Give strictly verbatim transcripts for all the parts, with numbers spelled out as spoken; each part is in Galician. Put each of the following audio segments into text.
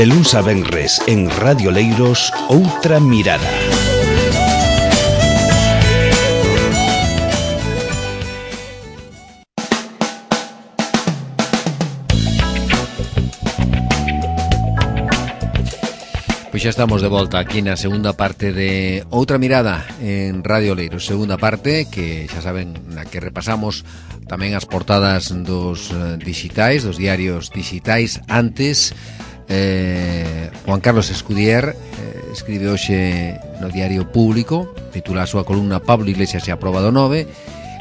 De luns a venres en Radio Leiros, Outra Mirada. Pois xa estamos de volta aquí na segunda parte de Outra Mirada en Radio Leiros. Segunda parte que xa saben na que repasamos tamén as portadas dos digitais, dos diarios digitais. Antes, eh, Juan Carlos Escudier eh, escribe hoxe no Diario Público, titula a súa columna Pablo Iglesias e a proba do nove,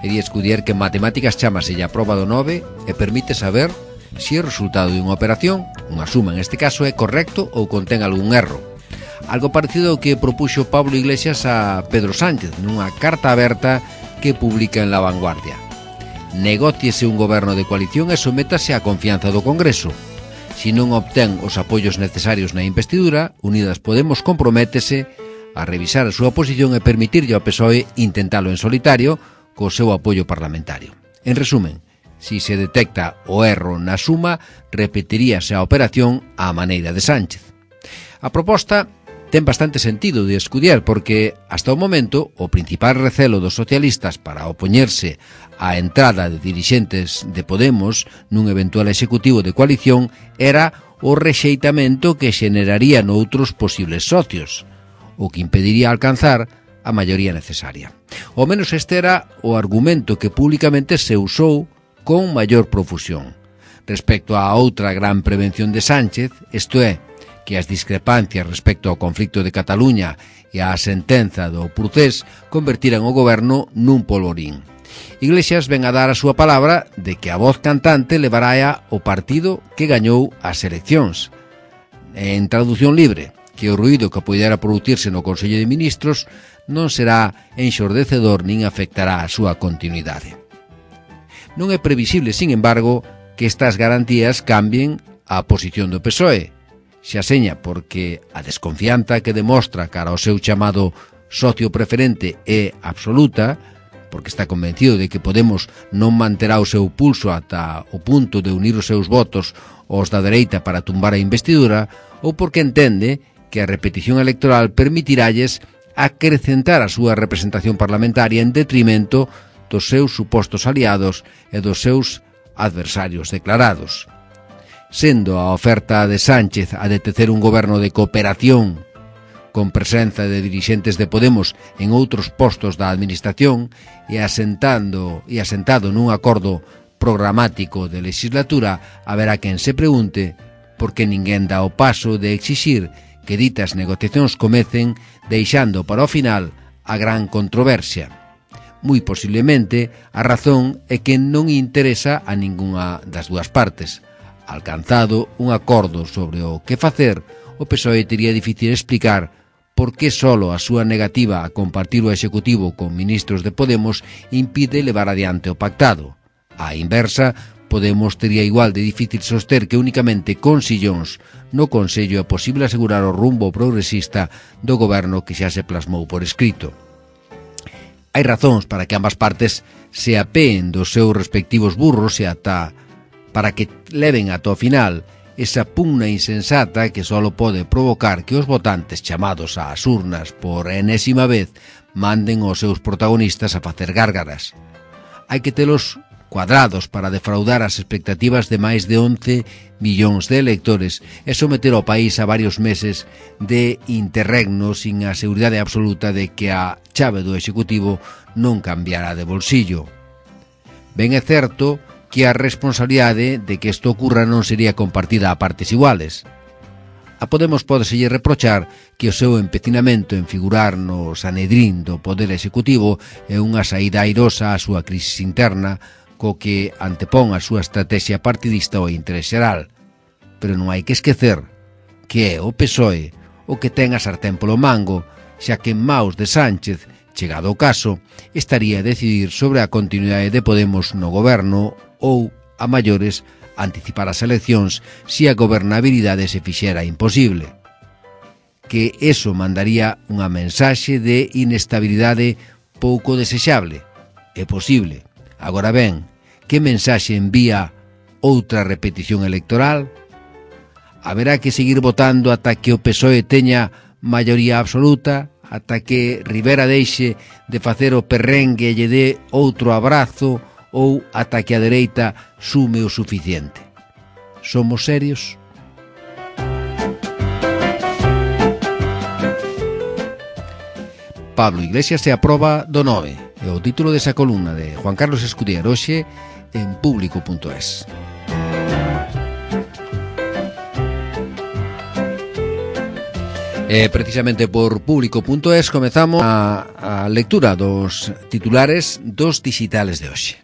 e di Escudier que en matemáticas chamase a proba do nove e permite saber se o resultado de unha operación, unha suma en este caso, é correcto ou contén algún erro. Algo parecido ao que propuxo Pablo Iglesias a Pedro Sánchez nunha carta aberta que publica en La Vanguardia. Negóciese un goberno de coalición e sométase á confianza do Congreso. Se non obtén os apoios necesarios na investidura, Unidas Podemos comprométese a revisar a súa posición e permitirlle ao P S O E intentalo en solitario co seu apoio parlamentario. En resumen, si se detecta o erro na suma, repetiríase a operación á maneira de Sánchez. A proposta ten bastante sentido de Escudier porque, hasta o momento, o principal recelo dos socialistas para opoñerse á entrada de dirixentes de Podemos nun eventual executivo de coalición era o rexeitamento que xeneraría noutros posibles socios, o que impediría alcanzar a maioría necesaria. Ao menos este era o argumento que públicamente se usou con maior profusión. Respecto a outra gran prevención de Sánchez, isto é, que as discrepancias respecto ao conflicto de Cataluña e á sentenza do Procés convertiran o goberno nun polvorín. Iglesias ven a dar a súa palabra de que a voz cantante levará o partido que gañou as eleccións. En traducción libre, que o ruído que poidera producirse no Consello de Ministros non será enxordecedor nin afectará a súa continuidade. Non é previsible, sin embargo, que estas garantías cambien a posición do P S O E. Xa seña porque a desconfianza que demostra cara ao seu chamado socio preferente é absoluta, porque está convencido de que Podemos non manterá o seu pulso ata o punto de unir os seus votos aos da dereita para tumbar a investidura, ou porque entende que a repetición electoral permitiralles acrecentar a súa representación parlamentaria en detrimento dos seus supostos aliados e dos seus adversarios declarados. Sendo a oferta de Sánchez a de tecer un goberno de cooperación con presenza de dirixentes de Podemos en outros postos da administración e asentando e asentado nun acordo programático de legislatura, haberá quen se pregunte por que ninguén dá o paso de exixir que ditas negociacións comecen deixando para o final a gran controversia. Moi posiblemente a razón é que non interesa a ningunha das dúas partes. Alcanzado un acordo sobre o que facer, o P S O E tería difícil explicar por que solo a súa negativa a compartir o executivo con ministros de Podemos impide levar adiante o pactado. Á inversa, Podemos tería igual de difícil soster que únicamente con sillóns no Consello é posible asegurar o rumbo progresista do goberno que xa se plasmou por escrito. Hai razóns para que ambas partes se apeen dos seus respectivos burros e ata para que leven ata o final esa pugna insensata que só pode provocar que os votantes chamados ás urnas por enésima vez manden os seus protagonistas a facer gárgaras. Hai que telos cuadrados para defraudar as expectativas de máis de once millóns de electores e someter ao país a varios meses de interregno sin a seguridade absoluta de que a chave do Executivo non cambiará de bolsillo. Ben é certo que a responsabilidade de que isto ocurra non sería compartida a partes iguales. A Podemos pódeselle reprochar que o seu empecinamento en figurar no Sanedrín do Poder Executivo é unha saída airosa á súa crisis interna, co que antepón a súa estrategia partidista ao interés xeral. Pero non hai que esquecer que é o P S O E o que ten a sartén polo mango, xa que en maus de Sánchez, chegado o caso, estaría a decidir sobre a continuidade de Podemos no goberno ou, a maiores, anticipar as eleccións se a gobernabilidade se fixera imposible. Que eso mandaría unha mensaxe de inestabilidade pouco desexable. É posible. Agora ben, que mensaxe envía outra repetición electoral? haberá que seguir votando ata que o P S O E teña maioría absoluta, ata que Rivera deixe de facer o perrengue e lle dé outro abrazo, ou ata que a dereita sume o suficiente. Somos serios? Pablo Iglesias se aproba do nove. É o título desa columna de Juan Carlos Escudier hoxe en público punto es. E precisamente por público punto es comezamos a, a lectura dos titulares dos digitales de hoxe.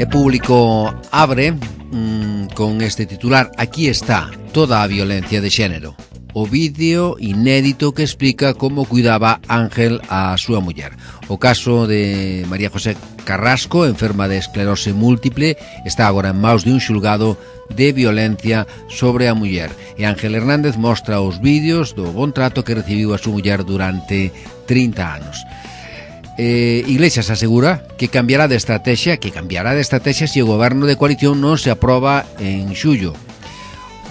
E Público abre mmm, con este titular: aquí está toda a violencia de xénero. O vídeo inédito que explica como cuidaba Ángel a súa muller. O caso de María José Carrasco, enferma de esclerose múltiple, está agora en maus de un xulgado de violencia sobre a muller. E Ángel Hernández mostra os vídeos do bon trato que recibiu a súa muller durante trinta anos. Eh, Iglesias asegura que cambiará de estrategia, que cambiará de estrategia se o goberno de coalición non se aproba en xullo.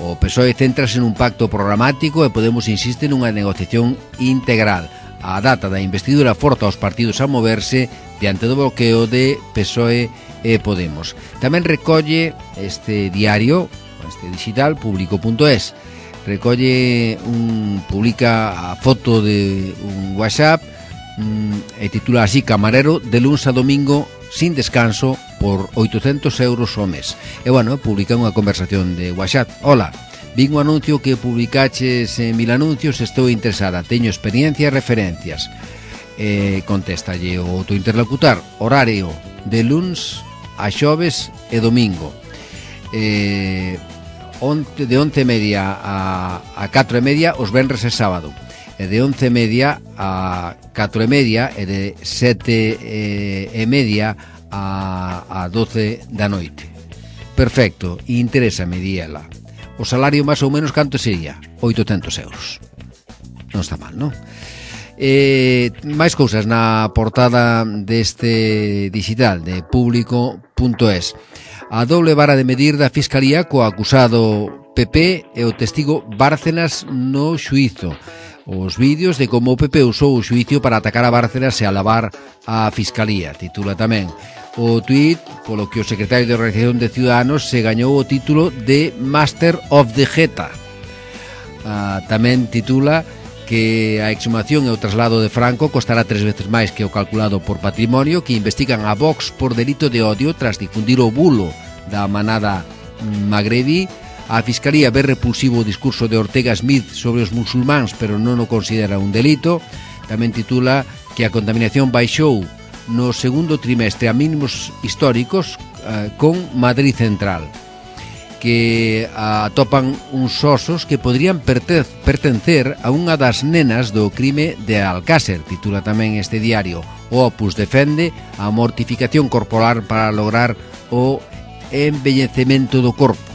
O P S O E céntrase nun pacto programático e Podemos insiste nunha negociación integral. A data da investidura forza aos partidos a moverse diante do bloqueo de P S O E e Podemos. Tamén recolle este diario, este digital, público punto es, recolle un, publica a foto de un WhatsApp e titula así: camarero de luns a domingo sin descanso por oitocentos euros ao mes. E bueno, publica unha conversación de WhatsApp. Hola, vin un anuncio que publicaches en Mil Anuncios, estou interesada, teño experiencia e referencias. E contéstalle o outro interlocutor: horario de luns a xoves e domingo, e de once e media a, a catro e media os venres e sábado, e de once e media a catro e media e de sete e media a, a doce da noite. Perfecto, interésame, di ela. O salario máis ou menos canto sería? oitocentos euros. Non está mal, non? E máis cousas na portada deste digital de público punto es. A doble vara de medir da Fiscalía co acusado P P e o testigo Bárcenas no xuízo. Os vídeos de como o P P usou o xuicio para atacar a Bárcenas e alabar a Fiscalía, titula tamén. O tuit polo que o secretario de Organización de Ciudadanos se gañou o título de Master of the Jeta. Ah, tamén titula que a exhumación e o traslado de Franco costará tres veces máis que o calculado por Patrimonio, que investigan a Vox por delito de odio tras difundir o bulo da manada Magrebí. A Fiscalía ve repulsivo o discurso de Ortega Smith sobre os musulmáns, pero non o considera un delito. Tamén titula que a contaminación baixou no segundo trimestre a mínimos históricos eh, con Madrid Central, que atopan uns osos que podrían pertencer a unha das nenas do crime de Alcácer, titula tamén este diario. O Opus defende a mortificación corporal para lograr o envellecemento do corpo.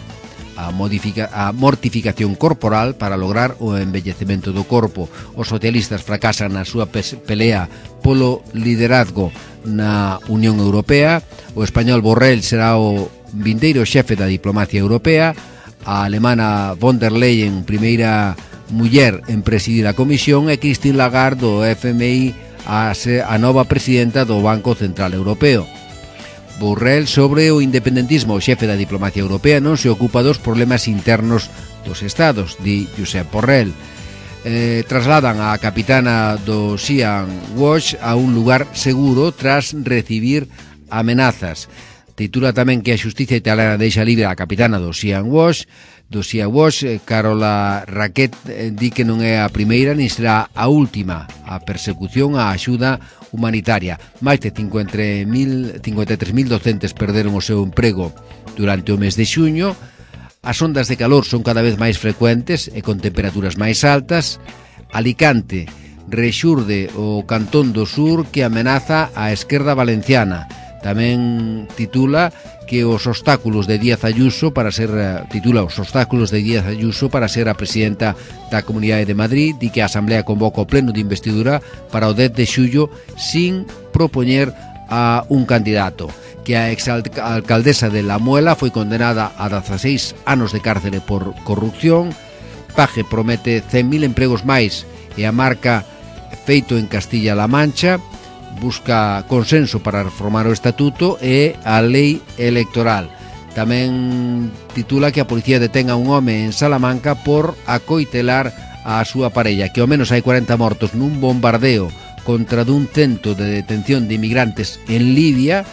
A, modifica, a mortificación corporal para lograr o envellecemento do corpo. Os socialistas fracasan na súa pelea polo liderazgo na Unión Europea. O español Borrell será o vindeiro xefe da diplomacia europea. A alemana von der Leyen, primeira muller en presidir a comisión, e Christine Lagarde do F M I, a, a nova presidenta do Banco Central Europeo. Borrell sobre o independentismo. O xefe da diplomacia europea non se ocupa dos problemas internos dos estados, di Josep Borrell. Eh, trasladan a capitana do Sea Watch a un lugar seguro tras recibir amenazas. Titula tamén que a xustiza italiana deixa libre a capitana do Sea Watch. Do Sea Watch, Carola Racket eh, di que non é a primeira nin será a última a persecución á axuda humanitaria. Máis de cincuenta e tres mil docentes perderon o seu emprego durante o mes de xuño. As ondas de calor son cada vez máis frecuentes e con temperaturas máis altas. Alicante rexurde o Cantón do Sur que amenaza a esquerda valenciana. Tamén titula que os obstáculos de Díaz Ayuso para ser titula os obstáculos de Díaz Ayuso para ser a presidenta da Comunidade de Madrid. Di que a Asamblea convoca o pleno de investidura para o dez de xullo sin propoñer a un candidato. Que a exalcaldesa de La Muela foi condenada a dezaseis anos de cárcere por corrupción. Paje promete cen mil empregos máis e a marca feito en Castilla-La Mancha. Busca consenso para reformar o estatuto e a lei electoral. Tamén titula que a policía detén a un home en Salamanca por acoitelar a súa parella, que ao menos hai cuarenta mortos nun bombardeo contra dun centro de detención de inmigrantes en Libia,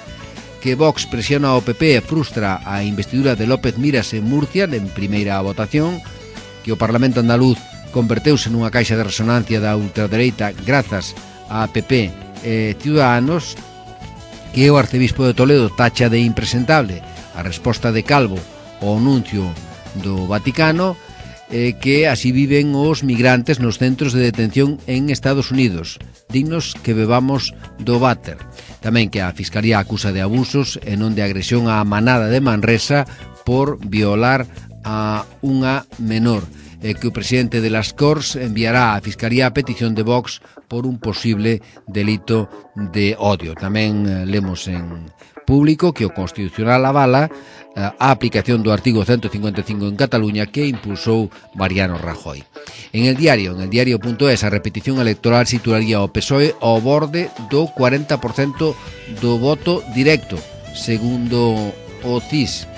que Vox presiona ao P P e frustra a investidura de López Miras en Murcia en primeira votación, que o Parlamento andaluz converteuse nunha caixa de resonancia da ultradereita grazas a P P e Ciudadanos, que o arcebispo de Toledo tacha de impresentable a resposta de Calvo ao anuncio do Vaticano, eh, que así viven os migrantes nos centros de detención en Estados Unidos, dignos que bebamos do váter. Tamén que a Fiscalía acusa de abusos e non de agresión á manada de Manresa por violar a unha menor, e que o presidente de las Corts enviará á Fiscalía a petición de Vox por un posible delito de odio. Tamén eh, lemos en Público que o Constitucional avala a aplicación do artigo ciento cincuenta e cinco en Cataluña que impulsou Mariano Rajoy. En el diario, en el diario.es, a repetición electoral situaría o P S O E ao borde do cuarenta por cento do voto directo, segundo o C I S.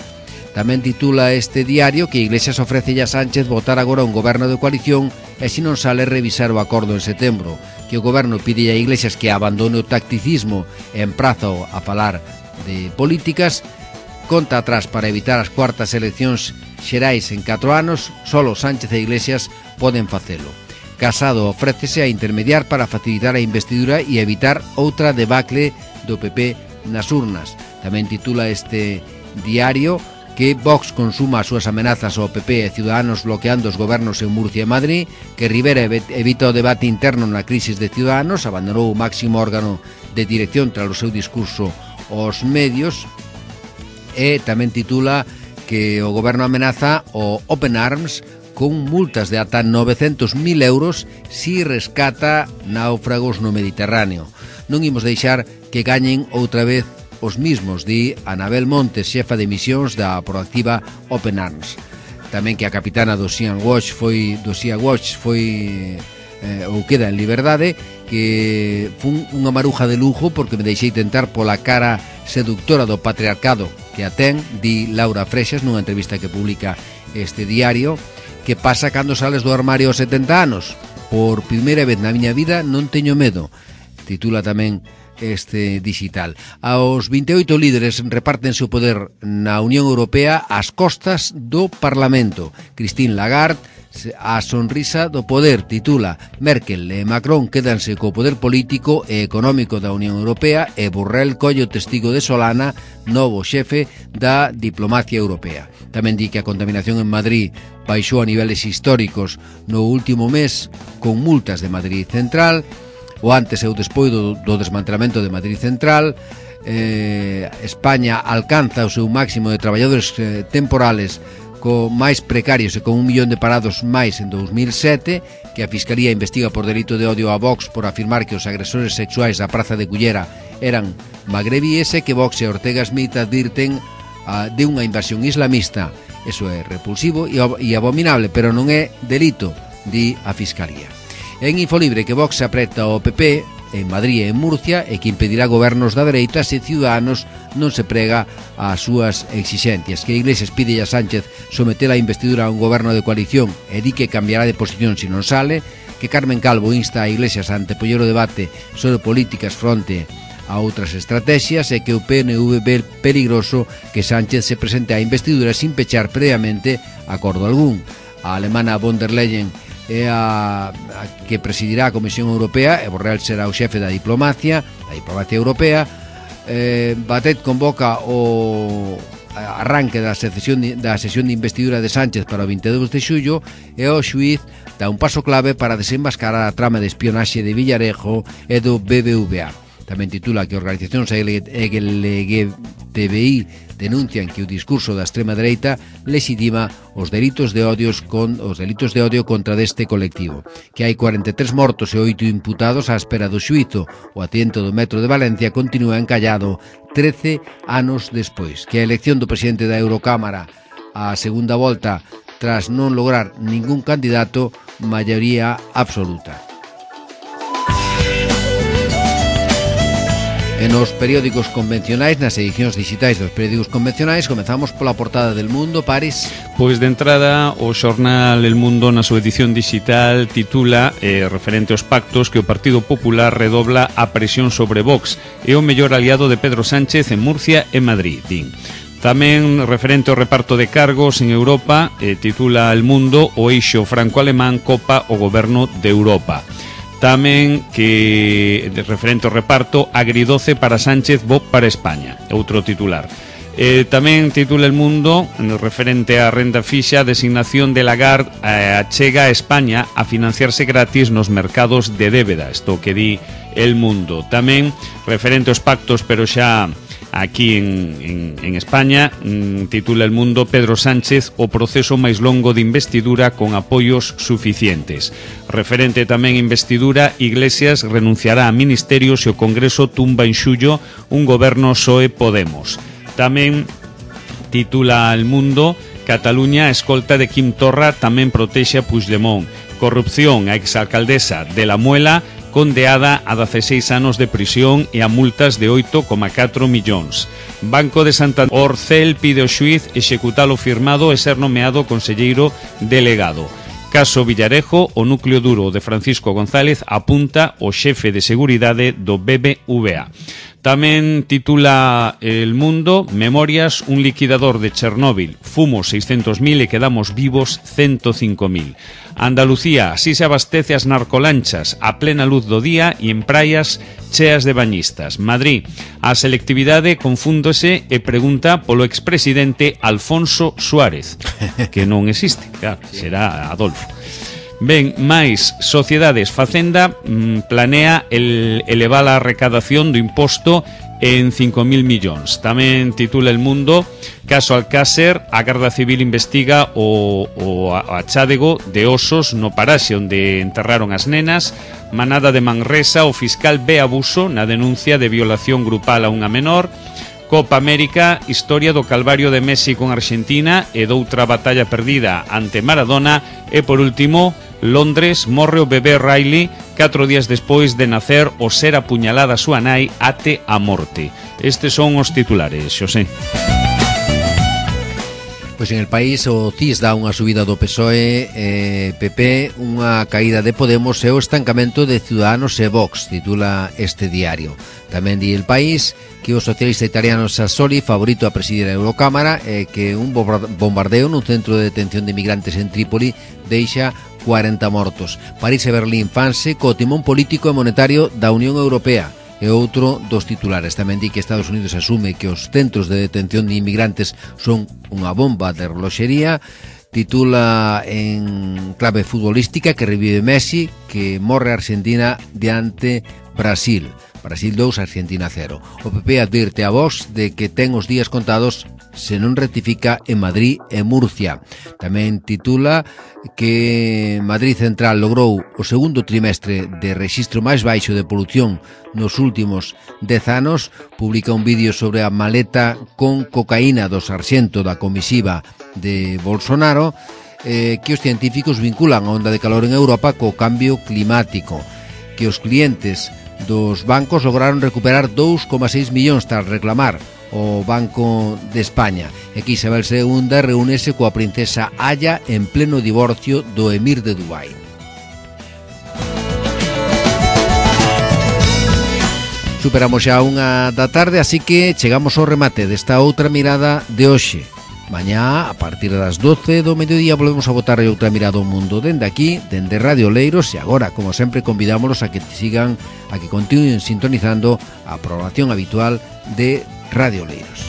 Tamén titula este diario que Iglesias ofrece a Sánchez votar agora un goberno de coalición e se non sale revisar o acordo en setembro, que o goberno pide a Iglesias que abandone o tacticismo e emprazo a falar de políticas. Conta atrás para evitar as cuartas eleccións xerais en catro anos, solo Sánchez e Iglesias poden facelo. Casado ofrécese a intermediar para facilitar a investidura e evitar outra debacle do P P nas urnas. Tamén titula este diario que Vox consuma as súas amenazas ao P P e Ciudadanos bloqueando os gobernos en Murcia e Madrid, que Rivera evita o debate interno na crisis de Ciudadanos, abandonou o máximo órgano de dirección tras o seu discurso aos medios. E tamén titula que o goberno amenaza o Open Arms con multas de ata novecentos mil euros si rescata náufragos no Mediterráneo. Non imos deixar que gañen outra vez os mismos, di Anabel Montes, xefa de misións da proactiva Open Arms. Tamén que a capitana do Sea Watch foi do Sea Watch foi eh, ou queda en liberdade, que fun unha maruja de lujo porque me deixei tentar pola cara seductora do patriarcado que a ten, di Laura Freixas nunha entrevista que publica este diario. Que pasa cando sales do armario aos setenta anos? Por primeira vez na miña vida non teño medo, titula tamén este digital. Aos vinte e oito líderes repártense o poder na Unión Europea ás costas do Parlamento. Christine Lagarde, a sonrisa do poder, titula. Merkel e Macron quédanse co poder político e económico da Unión Europea e Borrell colle o testigo de Solana, novo xefe da diplomacia europea. Tamén di que a contaminación en Madrid baixou a niveles históricos no último mes con multas de Madrid Central. O antes e o despois do, do desmantelamento de Madrid Central. eh, España alcanza o seu máximo de traballadores eh, temporales co máis precarios e con un millón de parados máis en dous mil sete, que a Fiscalía investiga por delito de odio a Vox por afirmar que os agresores sexuais da Praza de Cullera eran magrebíes e que Vox e Ortega Smith advirten uh, de unha invasión islamista. Eso é repulsivo e, e abominable, pero non é delito, di a Fiscalía. En Infolibre que Vox apreta o P P en Madrid e en Murcia e que impedirá gobernos da dereita se Ciudadanos non se prega ás súas exixencias. Que Iglesias pide a Sánchez someter a investidura a un goberno de coalición e di que cambiará de posición se non sale. Que Carmen Calvo insta a Iglesias a antepoñer o debate sobre políticas fronte a outras estrategias e que o P N V ve peligroso que Sánchez se presente á investidura sin pechar previamente acordo algún. A alemana von der Leyen é a, a que presidirá a Comisión Europea e Borrell será o xefe da diplomacia da diplomacia europea. eh, Batet convoca o arranque da sesión, da sesión de investidura de Sánchez para o vinte e dous de xullo e o xuíz dá un paso clave para desenmascarar a trama de espionaxe de Villarejo e do B B V A. Tamén titula que organizacións L G T B I denuncian que o discurso da extrema dereita lexitima os delitos de odios con os delitos de odio contra deste colectivo, que hai cuarenta e tres mortos e oito imputados á espera do xuízo. O atento do Metro de Valencia continúa encallado trece anos despois. Que a elección do presidente da Eurocámara a segunda volta tras non lograr ningún candidato, maioría absoluta. E nos periódicos convencionais, nas edicións digitais dos periódicos convencionais, comezamos pola portada del Mundo, Paris. Pois de entrada, o xornal El Mundo na súa edición digital titula, eh, referente aos pactos, que o Partido Popular redobla a presión sobre Vox e o mellor aliado de Pedro Sánchez en Murcia e Madrid, din. Tamén referente ao reparto de cargos en Europa, eh, titula El Mundo, o eixo franco-alemán copa o goberno de Europa. Tamén que, referente ao reparto, agridoce para Sánchez, bo para España, outro titular. Eh, tamén titula El Mundo, referente á renda fixa, a designación de Lagarde eh, achega a España a financiarse gratis nos mercados de débeda, isto que di El Mundo. Tamén referente aos pactos, pero xa aquí en, en, en España, mm, titula El Mundo, Pedro Sánchez, o proceso máis longo de investidura con apoios suficientes. Referente tamén a investidura, Iglesias renunciará a ministerios e o Congreso tumba en xullo un goberno P S O E Podemos. Tamén titula El Mundo, Cataluña, a escolta de Quim Torra tamén protexe a Puigdemont. Corrupción, a exalcaldesa de La Muela, condeada a dezasseis anos de prisión e a multas de oito coma catro millóns. Banco de Santander, Orcel pide ao xuíz executar o firmado e ser nomeado conselleiro delegado. Caso Villarejo, o núcleo duro de Francisco González apunta o xefe de seguridade do B B V A. Tamén titula El Mundo, Memorias, un liquidador de Chernóbil. Fumos seiscentos mil e quedamos vivos ciento cinco mil. Andalucía, así se abastece as narcolanchas a plena luz do día e en praias cheas de bañistas. Madrid, a selectividade confúndose e pregunta polo expresidente Alfonso Suárez, que non existe, claro, será Adolfo. Ben, máis, Sociedades, Facenda mmm, planea el, elevar a recadación do imposto en cinco mil millóns. Tamén titula El Mundo, caso Alcácer, a Garda Civil investiga o, o achádego de osos no paraxe onde enterraron as nenas. Manada de Manresa, o fiscal ve abuso na denuncia de violación grupal a unha menor. Copa América, historia do calvario de Messi con Argentina e doutra batalla perdida ante Maradona. E por último, Londres, morre o bebé Riley catro días despois de nacer o ser apuñalada a súa nai até a morte. Estes son os titulares, Xosé. Pois en El País o C I S dá unha subida do P S O E, eh, P P, unha caída de Podemos e o estancamento de Ciudadanos e Vox, titula este diario. Tamén di El País que o socialista italiano Sassoli, favorito a presidir a Eurocámara, e que un bombardeo nun centro de detención de migrantes en Trípoli deixa cuarenta mortos. París e Berlín fanse co timón político e monetario da Unión Europea. E outro dos titulares tamén di que Estados Unidos asume que os centros de detención de inmigrantes son unha bomba de reloxería. Titula en clave futbolística que revive Messi, que morre Argentina diante Brasil. Brasil dous, Argentina cero. O P P advirte a Vox de que ten os días contados se non rectifica en Madrid e Murcia. Tamén titula que Madrid Central logrou o segundo trimestre de rexistro máis baixo de polución nos últimos dez anos. Publica un vídeo sobre a maleta con cocaína do sarxento da comisiva de Bolsonaro, eh, que os científicos vinculan a onda de calor en Europa co cambio climático, que os clientes dos bancos lograron recuperar dous coma seis millóns tras reclamar o Banco de España. E que Isabel segunda reúnese coa princesa Aya en pleno divorcio do emir de Dubai. Superamos xa unha da tarde, así que chegamos ao remate desta outra mirada de hoxe. Mañá, a partir das doce do mediodía, volvemos a botar outra mirada ao mundo dende aquí, dende Radio Leiros, e agora, como sempre, convidámonos a que sigan, a que continúen sintonizando a programación habitual de Radio Leiros.